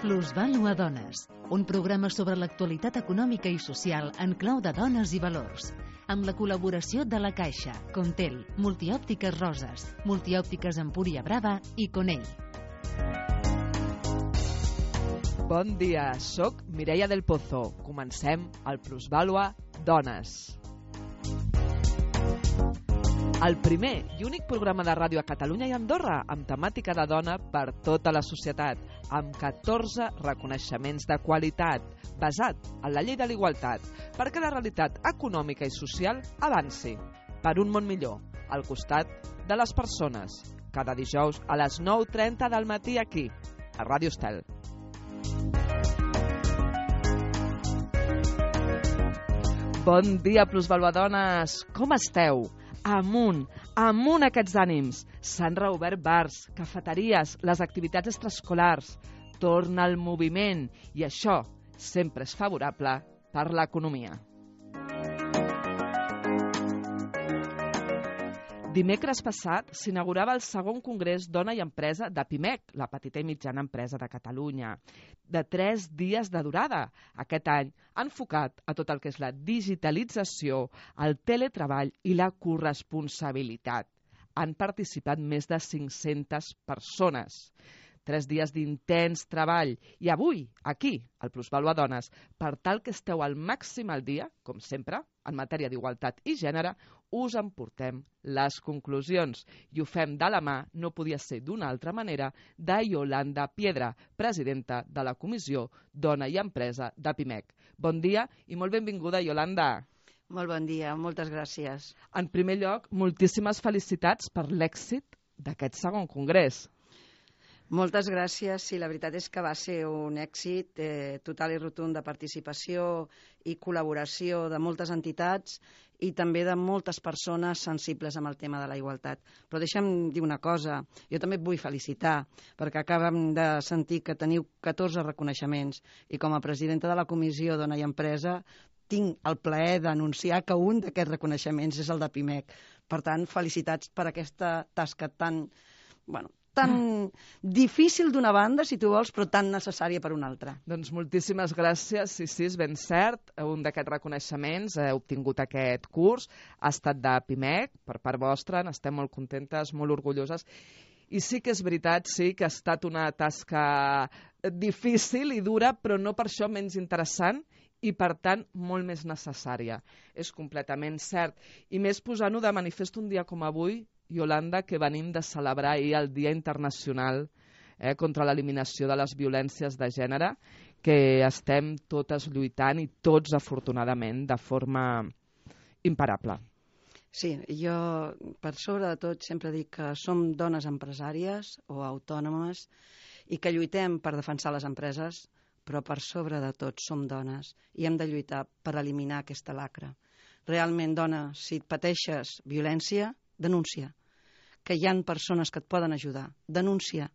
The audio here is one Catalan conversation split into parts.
Plusvàlua Dones, un programa sobre l'actualitat econòmica i social en clau de dones i valors, amb la col·laboració de La Caixa, Contel, Multiòptiques Roses, Multiòptiques Empúria Brava i Conell. Bon dia, soc Mireia del Pozo. Comencem el Plusvàlua Dones. El primer i únic programa de ràdio a Catalunya i Andorra amb temàtica de dona per tota la societat, amb 14 reconeixements de qualitat, basat en la llei de l'igualtat, perquè la realitat econòmica i social avanci per un món millor, al costat de les persones. Cada dijous a les 9:30 del matí aquí, a Ràdio Estel. Bon dia, Plusvàluadones! Com esteu? Amunt aquests ànims. S'han reobert bars, cafeteries, les activitats extraescolars. Torna el moviment i això sempre és favorable per l'economia. Dimecres passat s'inaugurava el segon congrés Dona i Empresa de PIMEC, la petita i mitjana empresa de Catalunya, de 3 dies de durada. Aquest any enfocat a tot el que és la digitalització, el teletreball i la corresponsabilitat. Han participat més de 500 persones. 3 dies d'intens treball. I avui, aquí, al Plusvàlua Dones, per tal que esteu al màxim al dia, com sempre, en matèria d'igualtat i gènere, us emportem les conclusions. I ho fem de la mà, no podia ser d'una altra manera, de Yolanda Piedra, presidenta de la Comissió Dona i Empresa de PIMEC. Bon dia i molt benvinguda, Yolanda. Molt bon dia, moltes gràcies. En primer lloc, moltíssimes felicitats per l'èxit d'aquest segon congrés. Moltes gràcies. Sí, la veritat és que va ser un èxit total i rotund de participació i col·laboració de moltes entitats i també de moltes persones sensibles amb el tema de la igualtat. Però deixa'm dir una cosa, jo també et vull felicitar, perquè acabem de sentir que teniu 14 reconeixements i com a presidenta de la Comissió Dona i Empresa tinc el plaer d'anunciar que un d'aquests reconeixements és el de PIMEC. Per tant, felicitats per aquesta tasca tan difícil d'una banda, si tu vols, però tan necessària per una altra. Doncs moltíssimes gràcies, sí, és ben cert. Un d'aquests reconeixements heu obtingut aquest curs, ha estat de PIMEC, per part vostra, n'estem molt contentes, molt orgulloses. I sí que és veritat, sí que ha estat una tasca difícil i dura, però no per això menys interessant i, per tant, molt més necessària. És completament cert. I més posant-ho de manifest un dia com avui, Yolanda, que venim de celebrar ahir el Dia Internacional contra l'eliminació de les violències de gènere, que estem totes lluitant i tots, afortunadament, de forma imparable. Sí, jo, per sobre de tot, sempre dic que som dones empresàries o autònomes i que lluitem per defensar les empreses, però per sobre de tot som dones i hem de lluitar per eliminar aquesta lacra. Realment, dona, si pateixes violència, denuncia, que hi ha persones que et poden ajudar, denuncia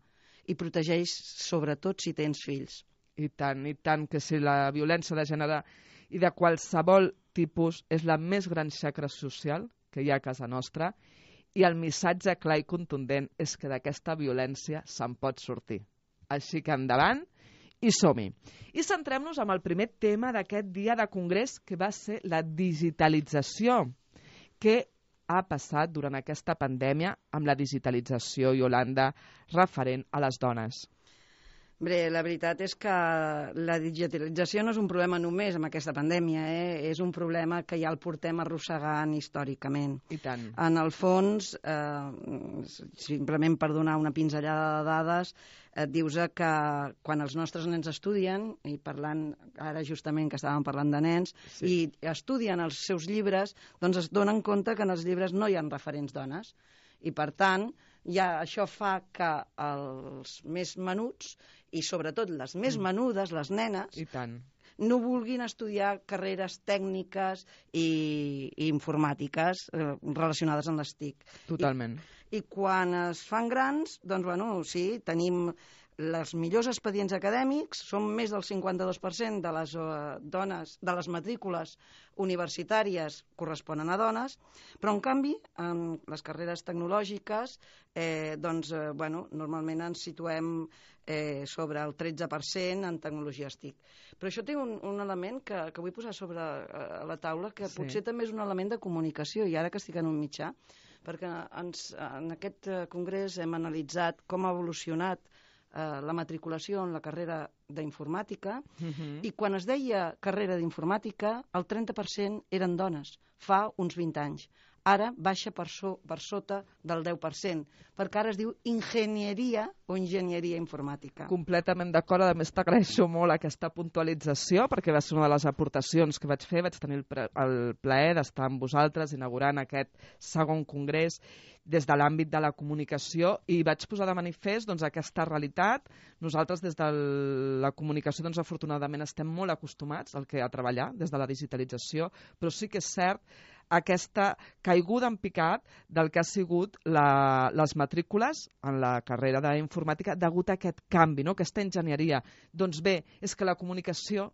i protegeix sobretot si tens fills. I tant, que si la violència de gènere i de qualsevol tipus és la més gran xacra social que hi ha a casa nostra i el missatge clar i contundent és que d'aquesta violència se'n pot sortir. Així que endavant i som-hi. I centrem-nos en el primer tema d'aquest dia de congrés, que va ser la digitalització, que ha passat durant aquesta pandèmia amb la digitalització, Yolanda, referent a les dones? Bé, la veritat és que la digitalització no és un problema només amb aquesta pandèmia, és un problema que ja el portem arrossegant històricament. I tant. En el fons, simplement per donar una pinzellada de dades, et dius que quan els nostres nens estudien, i parlant ara justament que estàvem parlant de nens, sí, i estudien els seus llibres, doncs es donen compte que en els llibres no hi ha referents dones. I per tant, ja això fa que els més menuts, i sobretot les més menudes, les nenes, i tant, no vulguin estudiar carreres tècniques i informàtiques relacionades amb les TIC. Totalment. I quan es fan grans, doncs, bueno, sí, tenim els millors expedients acadèmics són més del 52% de les dones, de les matrícules universitàries corresponen a dones, però en canvi en les carreres tecnològiques normalment ens situem sobre el 13% en tecnologies TIC. Però això té un element que vull posar sobre la taula, que potser també és un element de comunicació, i ara que estic en un mitjà, perquè en aquest congrés hem analitzat com ha evolucionat la matriculació en la carrera d'informàtica, i quan es deia carrera d'informàtica, el 30% eren dones, fa uns 20 anys. Ara baixa per sota del 10%, perquè ara es diu enginyeria o enginyeria informàtica. Completament d'acord, a més t'agraeixo molt aquesta puntualització, perquè va ser una de les aportacions que vaig fer, vaig tenir el plaer d'estar amb vosaltres inaugurant aquest segon congrés des de l'àmbit de la comunicació, i vaig posar de manifest aquesta realitat. Nosaltres des de la comunicació afortunadament estem molt acostumats a treballar des de la digitalització, però sí que és cert aquesta caiguda en picat del que ha sigut les matrícules en la carrera d'informàtica degut a aquest canvi, aquesta enginyeria. Doncs bé, és que la comunicació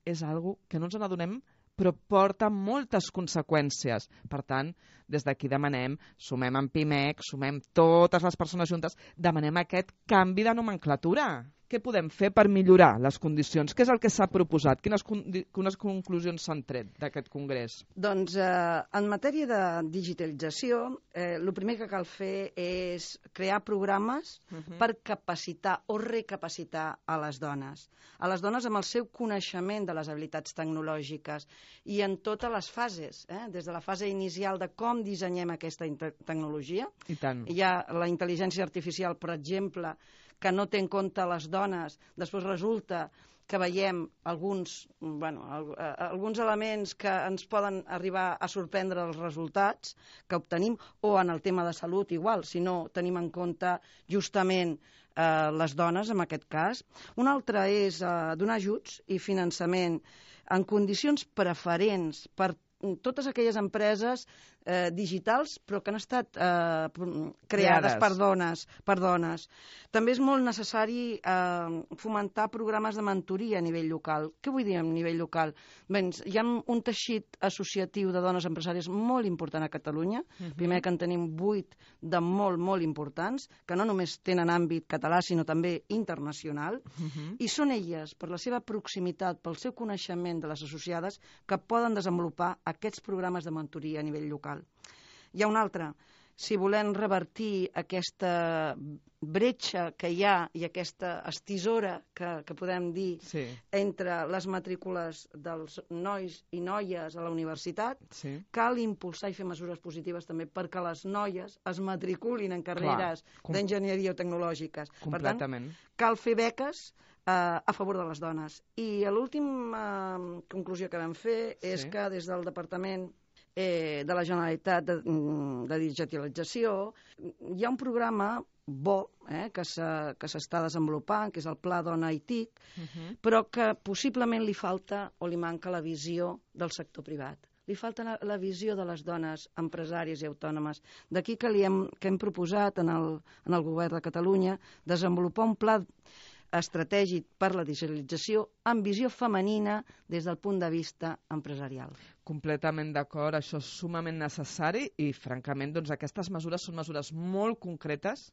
és algo que no ens n'adonem, però porta moltes conseqüències. Per tant, des d'aquí demanem, sumem en PIMEC, sumem totes les persones juntes, demanem aquest canvi de nomenclatura. Què podem fer per millorar les condicions? Què és el que s'ha proposat? Quines conclusions s'han tret d'aquest congrés? Doncs en matèria de digitalització, el primer que cal fer és crear programes per capacitar o recapacitar a les dones. A les dones amb el seu coneixement de les habilitats tecnològiques i en totes les fases, des de la fase inicial de com dissenyem aquesta tecnologia. I tant. Hi ha la intel·ligència artificial, per exemple, que no té en compte les dones. Després resulta que veiem alguns elements que ens poden arribar a sorprendre els resultats que obtenim, o en el tema de salut igual, si no tenim en compte justament les dones en aquest cas. Un altre és donar ajuts i finançament en condicions preferents per totes aquelles empreses digitals, però que han estat creades per dones. També és molt necessari fomentar programes de mentoria a nivell local. Què vull dir a nivell local? Hi ha un teixit associatiu de dones empresàries molt important a Catalunya. Primer que en tenim 8 de molt importants, que no només tenen àmbit català, sinó també internacional, i són elles, per la seva proximitat, pel seu coneixement de les associades, que poden desenvolupar aquests programes de mentoria a nivell local. Hi ha un altre. Si volem revertir aquesta bretxa que hi ha i aquesta estisora que podem dir entre les matrícules dels nois i noies a la universitat, cal impulsar i fer mesures positives també perquè les noies es matriculin en carreres d'enginyeria o tecnològiques. Per tant, cal fer beques a favor de les dones. I l'última conclusió que vam fer és que des del Departament de la Generalitat de Digitalització hi ha un programa bo que s'està desenvolupant, que és el Pla Dona i TIC, però que possiblement li falta o li manca la visió del sector privat. Li falta la visió de les dones empresàries i autònomes. D'aquí que hem proposat en el Govern de Catalunya desenvolupar un pla estratègic per la digitalització amb visió femenina des del punt de vista empresarial. Completament d'acord, això és sumament necessari i, francament, aquestes mesures són mesures molt concretes.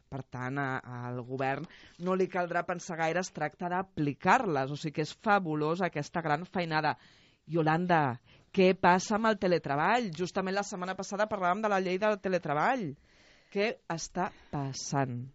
Per tant, al govern no li caldrà pensar gaire, es tracta d'aplicar-les, o sigui que és fabulós aquesta gran feinada. Iolanda, què passa amb el teletreball? Justament la setmana passada parlàvem de la llei del teletreball. Què està passant?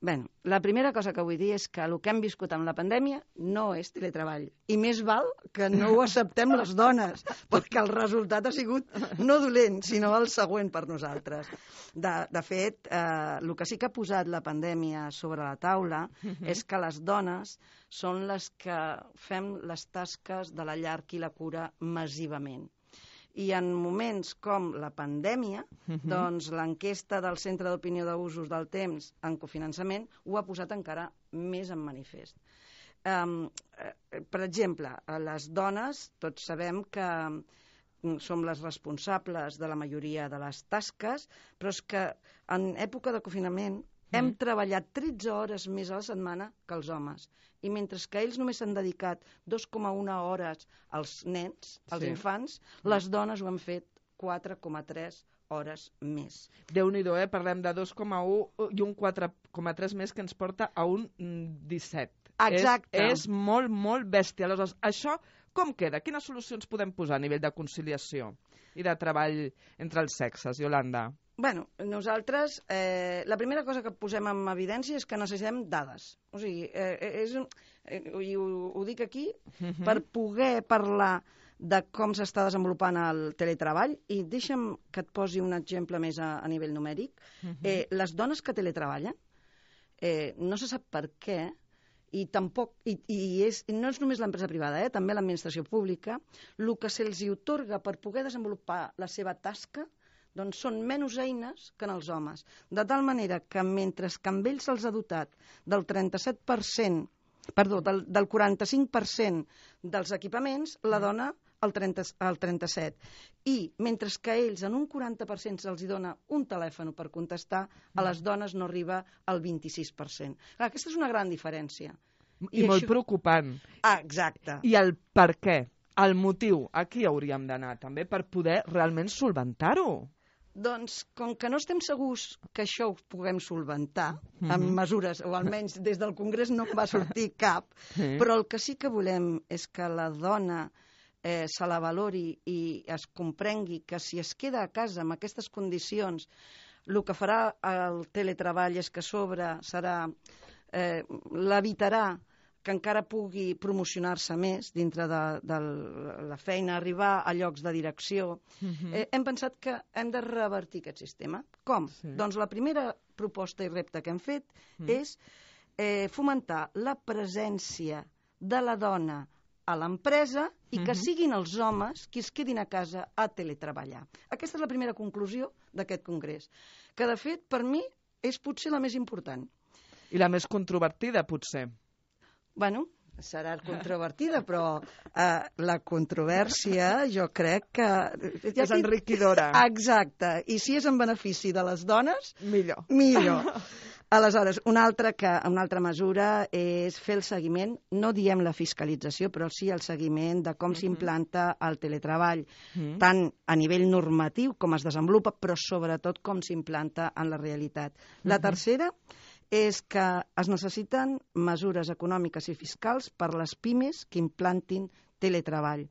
Bé, la primera cosa que vull dir és que el que hem viscut amb la pandèmia no és teletreball. I més val que no ho acceptem les dones, perquè el resultat ha sigut no dolent, sinó el següent per nosaltres. De fet, el que sí que ha posat la pandèmia sobre la taula és que les dones són les que fem les tasques de la llar i la cura massivament. I en moments com la pandèmia, doncs l'enquesta del Centre d'Opinió d'Usos del Temps en cofinançament ho ha posat encara més en manifest. Per exemple, les dones, tots sabem que som les responsables de la majoria de les tasques, però és que en època de confinament hem treballat 13 hores més a la setmana que els homes. I mentre que ells només s'han dedicat 2,1 hores als nens, als infants, les dones ho han fet 4,3 hores més. Déu-n'hi-do, parlem de 2,1 i un 4,3 més que ens porta a un 17. Exacte. És molt, molt bèstia. Aleshores, això com queda? Quines solucions podem posar a nivell de conciliació i de treball entre els sexes, Iolanda? Bueno, nosaltres, la primera cosa que posem en evidència és que necessitem dades. O sigui, i ho dic aquí, per poder parlar de com s'està desenvolupant el teletreball, i deixa'm que et posi un exemple més a nivell numèric. Les dones que teletreballen, no se sap per què, i tampoc, no és només l'empresa privada, també l'administració pública, el que se'ls atorga per poder desenvolupar la seva tasca, doncs són menys eines que en els homes. De tal manera que mentre que amb ells se'ls ha dotat del 37%, perdó, del 45% dels equipaments, la dona el 37%. I mentre que a ells en un 40% se'ls dona un telèfon per contestar, a les dones no arriba al 26%. Clar, aquesta és una gran diferència. I molt preocupant. Exacte. I el per què? El motiu, aquí hauríem d'anar també per poder realment solventar-ho. Doncs, com que no estem segurs que això ho puguem solventar amb mesures, o almenys des del Congrés no en va sortir cap, però el que sí que volem és que la dona se la valori i es comprengui que si es queda a casa amb aquestes condicions, el que farà el teletreball és que a sobre l'evitarà que encara pugui promocionar-se més dintre de la feina, arribar a llocs de direcció. Hem pensat que hem de revertir aquest sistema. Com? Doncs la primera proposta i repte que hem fet és fomentar la presència de la dona a l'empresa i que siguin els homes qui es quedin a casa a teletreballar. Aquesta és la primera conclusió d'aquest congrés, que de fet per mi és potser la més important. I la més controvertida, potser. Bueno, serà controvertida, però la controvèrsia jo crec que... És enriquidora. Exacte. I si és en benefici de les dones... Millor. Millor. Aleshores, una altra mesura és fer el seguiment, no diem la fiscalització, però sí el seguiment de com s'implanta el teletreball, tant a nivell normatiu com es desenvolupa, però sobretot com s'implanta en la realitat. La tercera és que es necessiten mesures econòmiques i fiscals per a les pimes que implantin teletreball,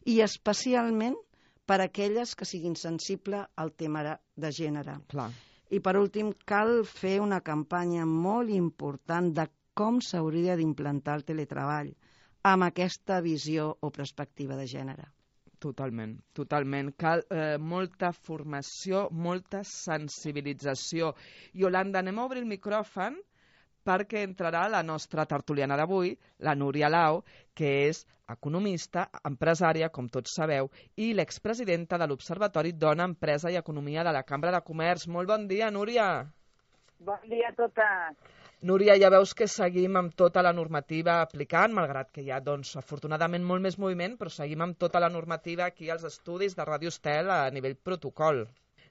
i especialment per a aquelles que siguin sensibles al tema de gènere. Clar. I per últim, cal fer una campanya molt important de com s'hauria d'implantar el teletreball amb aquesta visió o perspectiva de gènere. Totalment, totalment. Cal molta formació, molta sensibilització. Iolanda, anem a obrir el micròfon perquè entrarà la nostra tertuliana d'avui, la Núria Lau, que és economista, empresària, com tots sabeu, i l'expresidenta de l'Observatori Dona, Empresa i Economia de la Cambra de Comerç. Molt bon dia, Núria. Bon dia a totes. Núria, ja veus que seguim amb tota la normativa aplicant, malgrat que hi ha, doncs, afortunadament molt més moviment, però seguim amb tota la normativa aquí als estudis de Ràdio Estel a nivell protocol.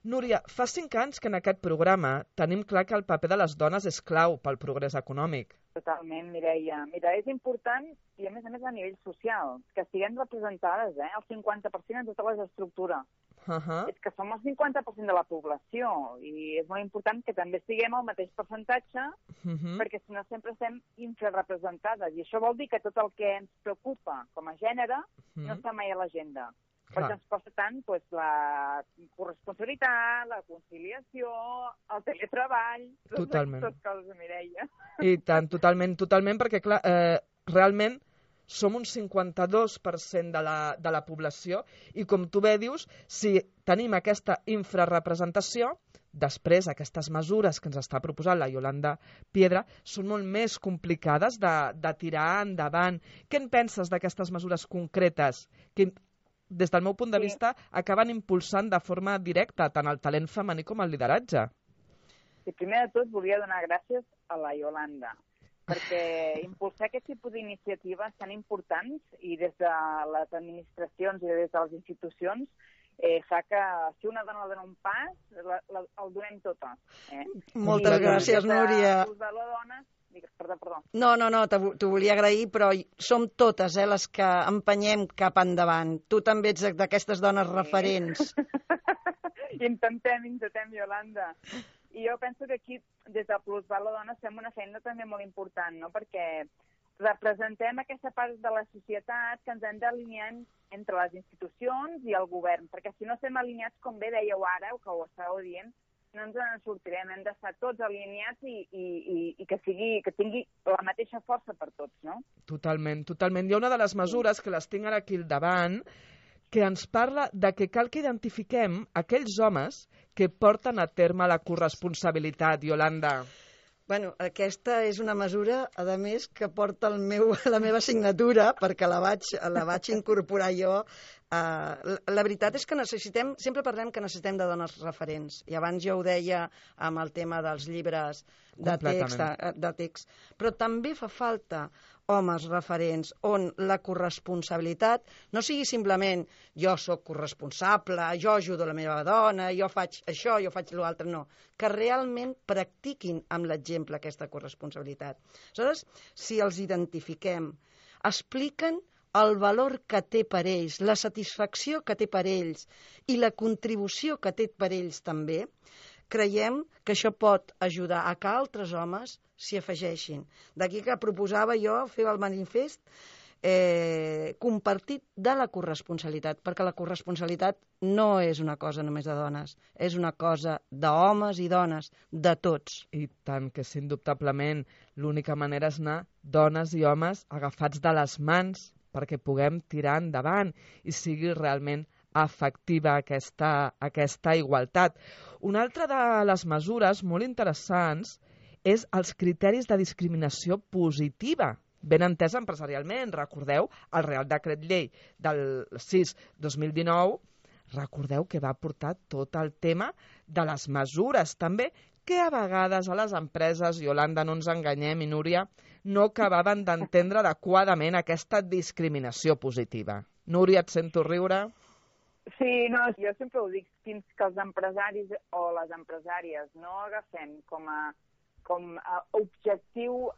Núria, fa 5 anys que en aquest programa tenim clar que el paper de les dones és clau pel progrés econòmic. Totalment, Mireia. Mira, és important, i a més a nivell social, que estiguem representades, el 50% en totes les estructures. És que som el 50% de la població i és molt important que també estiguem al mateix percentatge perquè si no sempre estem infrarrepresentades i això vol dir que tot el que ens preocupa com a gènere no està mai a l'agenda. Perquè ens costa tant la corresponsabilitat, la conciliació, el teletreball, tot coses, Mireia. I tant, totalment, perquè clar, realment som un 52% de la població i, com tu bé dius, si tenim aquesta infrarrepresentació, després aquestes mesures que ens està proposant la Iolanda Piedra són molt més complicades de tirar endavant. Què en penses d'aquestes mesures concretes que, des del meu punt de vista, acaben impulsant de forma directa tant el talent femení com el lideratge? Sí, primer de tot volia donar gràcies a la Iolanda, perquè impulsar aquest tipus d'iniciatives tan importants i des de les administracions i des de les institucions fa que si una dona dona un pas, el donem totes. Moltes gràcies, Núria. Perdó. No, t'ho volia agrair, però som totes les que empenyem cap endavant. Tu també ets d'aquestes dones referents. Intentem, Iolanda. I jo penso que aquí, des de Plusval la Dona, fem una feina també molt important, no? Perquè representem aquesta part de la societat que ens hem d'alinear entre les institucions i el govern, perquè si no estem alineats, com bé dèieu ara, o que ho estàveu dient, no ens en sortirem, hem d'estar tots alineats i que tingui la mateixa força per tots, no? Totalment. Hi ha una de les mesures, que les tinc ara aquí al davant, que ens parla de que cal que identifiquem aquells homes que porten a terme la corresponsabilitat, Iolanda. Bueno, aquesta és una mesura, a més, que porta la meva signatura, perquè la vaig incorporar jo. La veritat és que sempre parlem que necessitem de dones referents, i abans jo ho deia amb el tema dels llibres de text, però també fa falta homes referents on la corresponsabilitat no sigui simplement jo sóc corresponsable, jo ajudo la meva dona, jo faig això, jo faig l'altre, no, que realment practiquin amb l'exemple aquesta corresponsabilitat. Aleshores, si els identifiquem, expliquen el valor que té per ells, la satisfacció que té per ells i la contribució que té per ells també, creiem que això pot ajudar a que altres homes s'hi afegeixin. D'aquí que proposava jo fer el manifest compartit de la corresponsabilitat, perquè la corresponsabilitat no és una cosa només de dones, és una cosa d'homes i dones, de tots. I tant que sí, indubtablement, l'única manera és anar dones i homes agafats de les mans perquè puguem tirar endavant i sigui realment efectiva aquesta igualtat. Una altra de les mesures molt interessants és els criteris de discriminació positiva, ben entesa empresarialment. Recordeu el Real Decret Llei del 6/2019, recordeu que va portar tot el tema de les mesures també, que a vegades a les empreses, Iolanda, no ens enganyem, i Núria, no acabaven d'entendre adequadament aquesta discriminació positiva. Núria, et sento riure. Sí, no, jo sempre ho dic, fins que els empresaris o les empresàries no agafem com a objectiu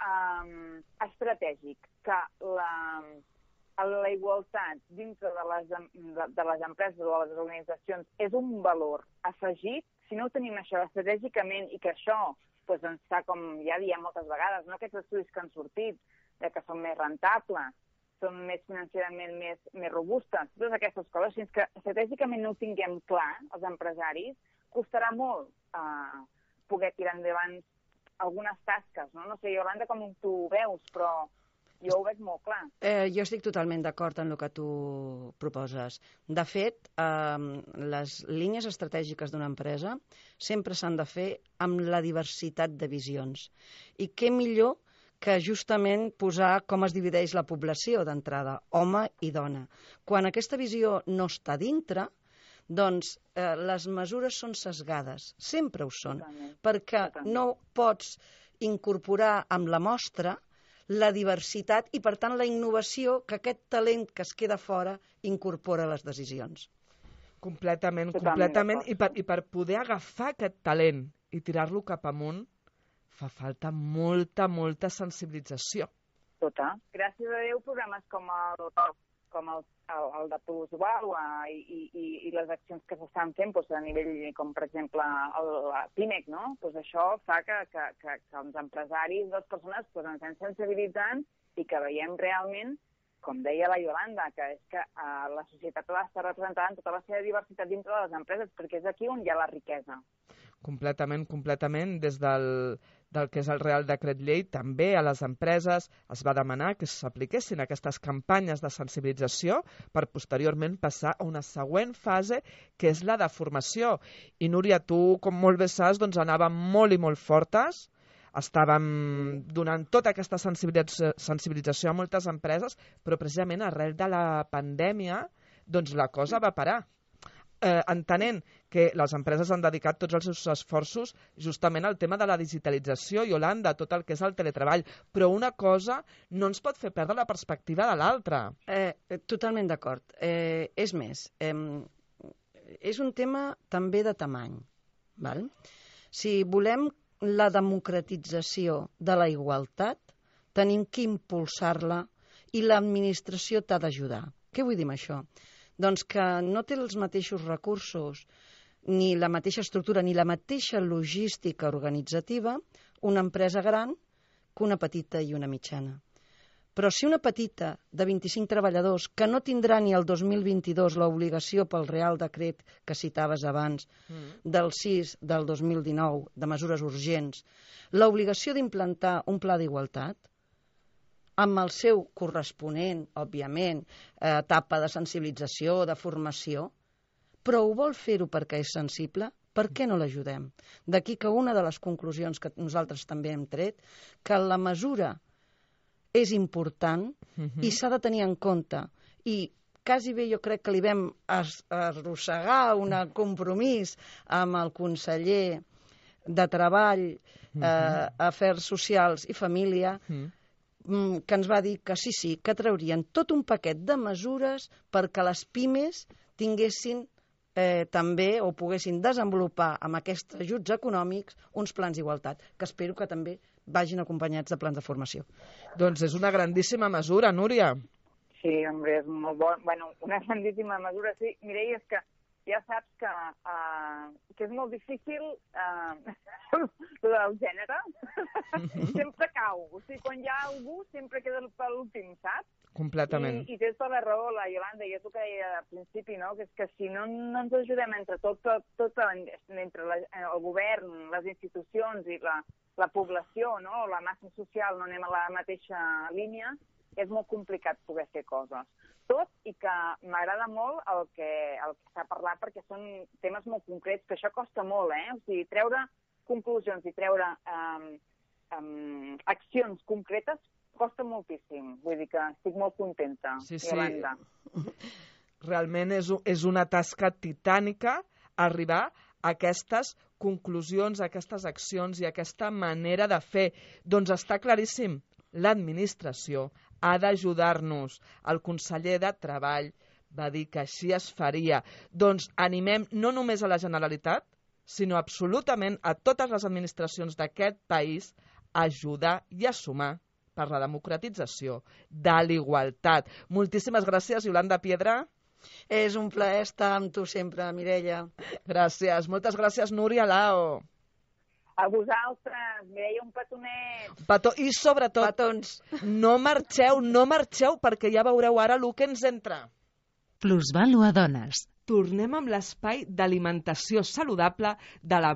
estratègic que la igualtat dintre de les empreses o de les organitzacions és un valor afegit, si no ho tenim això estratègicament i que això ens fa, com ja diem moltes vegades, aquests estudis que han sortit, que són més rentables, són més financerament més robustes, totes aquestes coses, fins que estratègicament no ho tinguem clar, els empresaris, costarà molt poder tirar endavant algunes tasques, no? No sé, Iolanda, com tu ho veus, però jo ho veig molt clar. Jo estic totalment d'acord en el que tu proposes. De fet, les línies estratègiques d'una empresa sempre s'han de fer amb la diversitat de visions. I què millor que justament posar com es divideix la població d'entrada, home i dona. Quan aquesta visió no està dintre, doncs les mesures són sesgades, sempre ho són, perquè no pots incorporar amb la mostra la diversitat i, per tant, la innovació que aquest talent que es queda fora incorpora a les decisions. Completament. I per poder agafar aquest talent i tirar-lo cap amunt, fa falta molta sensibilització. Gràcies a Déu, programes com el de Plusval i les accions que s'estan fent a nivell, com per exemple la PIMEC, no? Això fa que els empresaris, les persones, ens anem sensibilitzant i que veiem realment, com deia la Iolanda, que és que la societat ha d'estar representada en tota la seva diversitat dintre de les empreses, perquè és aquí on hi ha la riquesa. Completament. Des del que és el Real Decret Llei, també a les empreses es va demanar que s'apliquessin aquestes campanyes de sensibilització per posteriorment passar a una següent fase, que és la de formació. I Núria, tu, com molt bé saps, anàvem molt i molt fortes, estàvem donant tota aquesta sensibilització a moltes empreses, però precisament arrel de la pandèmia la cosa va parar. Entenent que les empreses han dedicat tots els seus esforços justament al tema de la digitalització, Iolanda, tot el que és el teletreball, però una cosa no ens pot fer perdre la perspectiva de l'altra. Totalment d'acord. És més, és un tema també de tamany. Val? Si volem la democratització de la igualtat, tenim que impulsar-la i l'administració t'ha d'ajudar. Què vull dir amb això? Doncs que no té els mateixos recursos, ni la mateixa estructura, ni la mateixa logística organitzativa una empresa gran que una petita i una mitjana. Però si una petita de 25 treballadors, que no tindrà ni el 2022 l'obligació pel Real Decret que citaves abans, del 6 del 2019, de mesures urgents, l'obligació d'implantar un pla d'igualtat, amb el seu corresponent, òbviament, etapa de sensibilització, de formació, però ho vol fer-ho perquè és sensible, per què no l'ajudem? D'aquí que una de les conclusions que nosaltres també hem tret, que la mesura és important i s'ha de tenir en compte. I quasi bé jo crec que li vam arrossegar un compromís amb el conseller de Treball, Afers Socials i Família, que ens va dir que sí, que traurien tot un paquet de mesures perquè les pimes tinguessin també o poguessin desenvolupar amb aquests ajuts econòmics uns plans d'igualtat, que espero que també vagin acompanyats de plans de formació. Doncs és una grandíssima mesura, Núria. Sí, home, és molt bon. Bueno, una grandíssima mesura, sí. Mireia, és que ja saps que és molt difícil el gènere. Sempre cau. O sigui, quan hi ha algú, sempre queda per l'últim, saps? Completament. I tens tota la raó, la Iolanda, i és el que deia al principi, no? Que és que si no ens ajudem entre entre el govern, les institucions i la població, no? La massa social, no anem a la mateixa línia, és molt complicat poder fer coses. Tot i que m'agrada molt el que s'ha parlat perquè són temes molt concrets, que això costa molt, O sigui, treure conclusions i treure accions concretes costa moltíssim. Vull dir que estic molt contenta, Iolanda. Realment és una tasca titànica arribar a aquestes conclusions, a aquestes accions i a aquesta manera de fer. Doncs està claríssim, l'administració ha d'ajudar-nos. El conseller de Treball va dir que així es faria. Doncs animem no només a la Generalitat, sinó absolutament a totes les administracions d'aquest país a ajudar i a sumar per la democratització de l'igualtat. Moltíssimes gràcies, Iolanda Piedra. És un plaer estar amb tu sempre, Mireia. Gràcies. Moltes gràcies, Núria Lao. A vosaltres, Mireia, un petonet. I sobretot, petons, no marxeu, perquè ja veureu ara el que ens entra. Plusvàlua Dones. Tornem amb l'espai d'alimentació saludable de la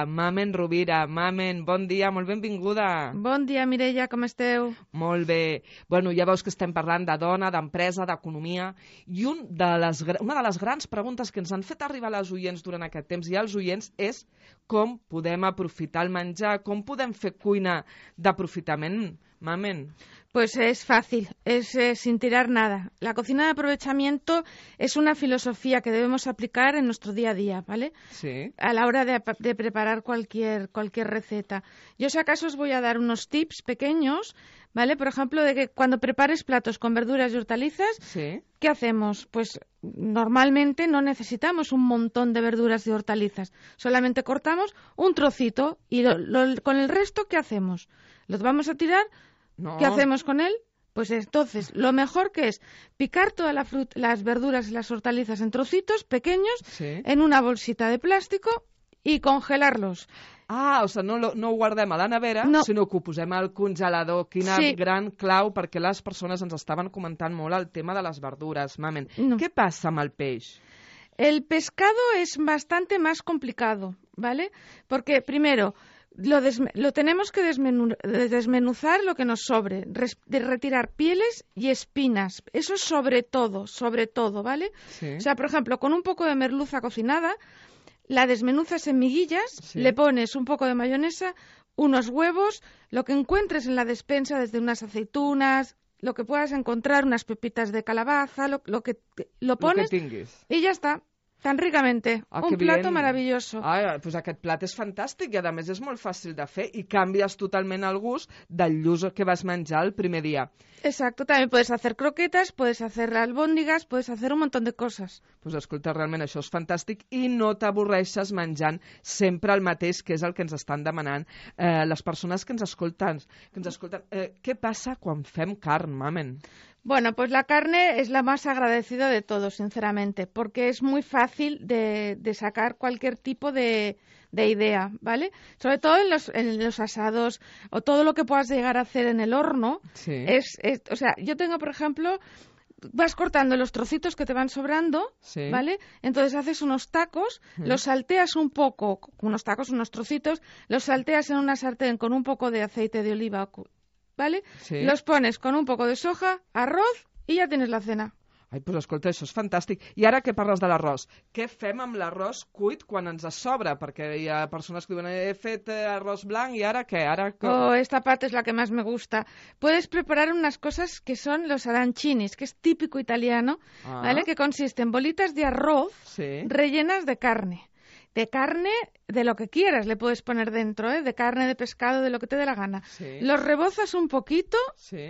Mamen Rovira. Mamen, bon dia, molt benvinguda. Bon dia, Mireia, com esteu? Molt bé. Bueno, ja veus que estem parlant de dona, d'empresa, d'economia, i una de les grans preguntes que ens han fet arribar les oients durant aquest temps i els oients és com podem aprofitar el menjar, com podem fer cuina d'aprofitament, Mamen. Pues es fácil, es sin tirar nada. La cocina de aprovechamiento es una filosofía que debemos aplicar en nuestro día a día, ¿vale? Sí. A la hora de preparar cualquier receta. Yo si acaso os voy a dar unos tips pequeños, ¿vale? Por ejemplo, de que cuando prepares platos con verduras y hortalizas, sí. ¿Qué hacemos? Pues normalmente no necesitamos un montón de verduras y hortalizas. Solamente cortamos un trocito y con el resto, ¿qué hacemos? ¿Los vamos a tirar? No. ¿Qué hacemos con él? Pues entonces, lo mejor que es picar todas las verduras y las hortalizas en trocitos pequeños, sí. En una bolsita de plástico y congelarlos. Ah, o sigui, no ho guardem a la nevera, sinó que ho posem al congelador. Quina gran clau, perquè les persones ens estaven comentant molt el tema de les verdures, Mamen. No. ¿Qué pasa amb el peix? El pescado es bastante más complicado, ¿vale? Porque, primero, lo tenemos que desmenuzar lo que nos sobre, retirar pieles y espinas. Eso sobre todo, ¿vale? Sí. O sea, por ejemplo, con un poco de merluza cocinada, la desmenuzas en miguillas, sí. Le pones un poco de mayonesa, unos huevos, lo que encuentres en la despensa, desde unas aceitunas, lo que puedas encontrar, unas pepitas de calabaza, lo pones lo que tinguis. Y ya está. Tan ricamente. Un plato maravilloso. Pues aquest plat és fantàstic i a més és molt fàcil de fer i canvies totalment el gust del lluç que vas menjar el primer dia. Exacto, también puedes hacer croquetas, puedes hacer albóndigas, puedes hacer un montón de coses. Pues escolta, realment això és fantàstic i no t'avorreixes menjant sempre el mateix, que és el que ens estan demanant les persones que ens escolten. Què passa quan fem carn, mamen? Bueno, pues la carne es la más agradecida de todos, sinceramente, porque es muy fácil de sacar cualquier tipo de idea, ¿vale? Sobre todo en los asados o todo lo que puedas llegar a hacer en el horno. Sí. O sea, yo tengo, por ejemplo, vas cortando los trocitos que te van sobrando, sí, ¿vale? Entonces haces unos tacos, los salteas un poco, unos trocitos, los salteas en una sartén con un poco de aceite de oliva, ¿vale? Sí. Los pones con un poco de soja, arroz y ya tienes la cena. Ai, doncs escolta, això és fantàstic. I ara que parles de l'arròs, què fem amb l'arròs cuit quan ens sobra? Perquè hi ha persones que diuen, he fet arròs blanc i ara què? Oh, esta parte es la que más me gusta. Puedes preparar unas cosas que son los arancinis, que es típico italiano, ¿vale? Que consiste en bolitas de arroz rellenas de carne. De carne, de lo que quieras le puedes poner dentro, de carne, de pescado, de lo que te dé la gana. Sí. Los rebozas un poquito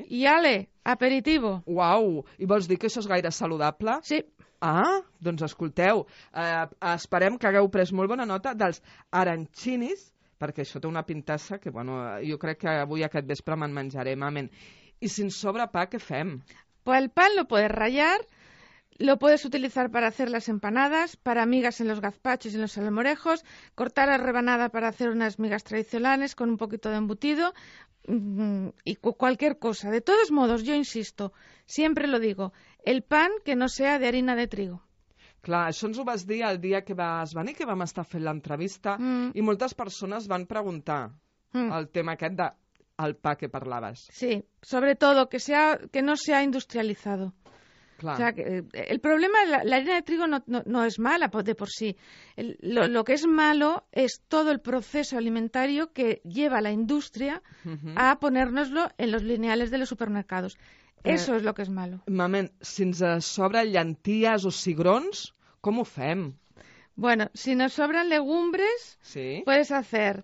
y ale, aperitivo. Uau! I vols dir que això és gaire saludable? Sí. Doncs escolteu, esperem que hagueu pres molt bona nota dels arancinis, perquè això té una pintassa que, bueno, jo crec que avui aquest vespre me'n menjaré, mamen. I si ens sobra pa, què fem? Pues el pan lo puedes rallar. Lo puedes utilizar para hacer las empanadas, para migas en los gazpachos y en los salmorejos, cortar la rebanada para hacer unas migas tradicionales con un poquito de embutido y cualquier cosa. De todos modos, yo insisto, siempre lo digo, el pan que no sea de harina de trigo. Clar, això ens ho vas dir el dia que vas venir, que vam estar fent l'entrevista, i moltes persones van preguntar el tema aquest del pa que parlaves. Sí, sobre todo que no sea industrializado. Claro. O sea, el problema, la harina de trigo no es mala de por sí. Lo que es malo es todo el proceso alimentario que lleva la industria a ponérnoslo en los lineales de los supermercados. Eso es lo que es malo. Mamen, si ens sobren llenties o cigrons, com ho fem? Bueno, si nos sobran legumbres, puedes hacer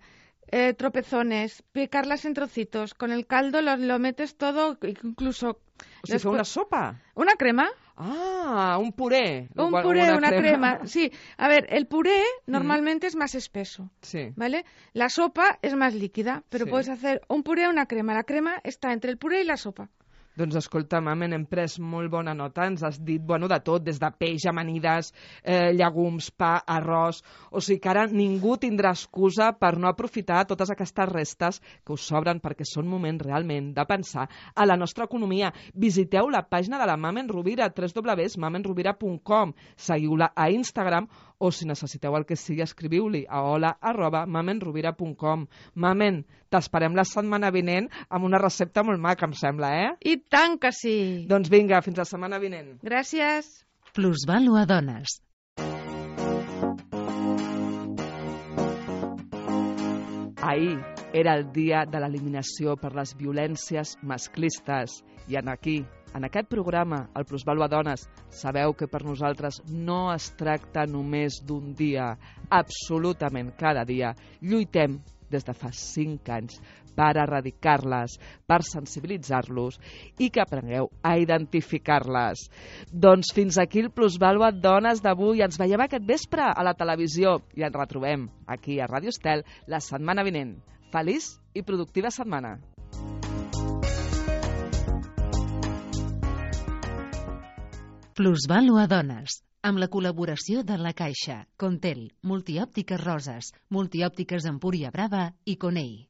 tropezones, picarlas en trocitos. Con el caldo lo metes todo, incluso... O sigui, fer una sopa? Una crema. Un puré. Un puré, una crema. Sí, a ver, el puré normalmente es más espeso, ¿vale? La sopa es más líquida, pero puedes hacer un puré o una crema. La crema está entre el puré y la sopa. Doncs escolta, mamen, hem pres molt bona nota, ens has dit, bueno, de tot, des de peix, amanides, llegums, pa, arròs... O sigui que ara ningú tindrà excusa per no aprofitar totes aquestes restes que us sobren, perquè són moment realment de pensar a la nostra economia. Visiteu la pàgina de la Mamen Rovira, www.mamenrovira.com, seguiu-la a Instagram o si necessiteu el que sigui, escriviu-li a hola@mamenrovira.com. Mamen, t'esperem la setmana vinent amb una recepta molt maca, em sembla, I tant que sí! Doncs vinga, fins la setmana vinent. Gràcies. Plusvàlua Dones. Ahir era el dia de l'eliminació per les violències masclistes i aquí, en aquest programa, el Plusvàlua Dones, sabeu que per nosaltres no es tracta només d'un dia, absolutament cada dia. Lluitem des de fa 5 anys per erradicar-les, per sensibilitzar-los i que aprengueu a identificar-les. Doncs fins aquí el Plusvàlua Dones d'avui. Ens veiem aquest vespre a la televisió i ens retrobem aquí a Ràdio Estel la setmana vinent. Feliç i productiva setmana. Plusvàlua Dones, amb la col·laboració de La Caixa, Contel, Multiòptiques Roses, Multiòptiques Empúria Brava i Conei.